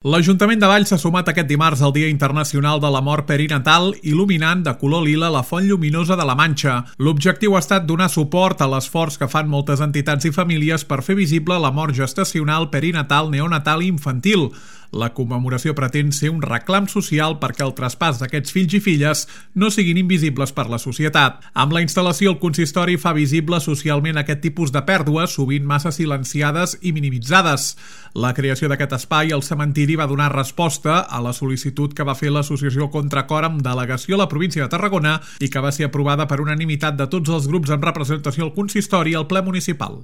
L'Ajuntament de Valls s'ha sumat aquest dimarts al Dia Internacional de la Mort Perinatal, il·luminant de color lila la Font Lluminosa de la Manxa. L'objectiu ha estat donar suport a l'esforç que fan moltes entitats i famílies per fer visible la mort gestacional, perinatal, neonatal i infantil. La commemoració pretén ser un reclam social perquè el traspàs d'aquests fills i filles no siguin invisibles per la societat. Amb la instal·lació, el consistori fa visible socialment aquest tipus de pèrdues, sovint massa silenciades i minimitzades. La creació d'aquest espai al cementiri va donar resposta a la sol·licitud que va fer l'associació Contracor amb delegació a la província de Tarragona i que va ser aprovada per unanimitat de tots els grups en representació al consistori al ple municipal.